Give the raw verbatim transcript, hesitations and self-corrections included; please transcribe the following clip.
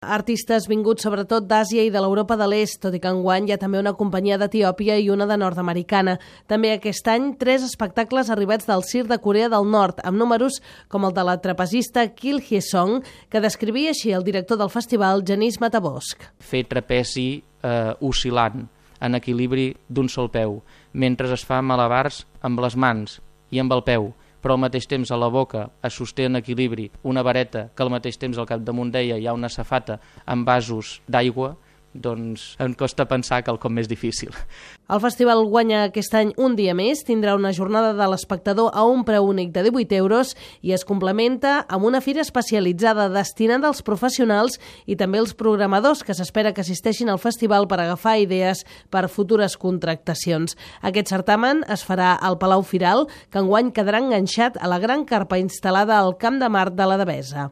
Artistes vinguts sobretot d'Àsia i de l'Europa de l'Est, tot i que enguany hi ha també una companyia d'Etiòpia i una de nord-americana. També aquest any, tres espectacles arribats del Circ de Corea del Nord, amb números com el de la trapezista Kim Hye-sung, que descrivia així el director del festival, Genís Matabosc. Fer trapezi eh, oscil·lant, en equilibri d'un sol peu, mentre es fa malabars amb les mans i amb el peu, però al mateix temps a la boca es sosté en equilibri una vareta que al mateix temps al capdamunt d'ella hi ha una safata amb vasos d'aigua, doncs em costa pensar que el com més difícil. El festival guanya aquest any un dia més, tindrà una jornada de l'espectador a un preu únic de divuit euros i es complementa amb una fira especialitzada destinada als professionals i també als programadors que s'espera que assisteixin al festival per agafar idees per futures contractacions. Aquest certamen es farà al Palau Firal, que enguany quedarà enganxat a la gran carpa instal·lada al Camp de Mart de la Devesa.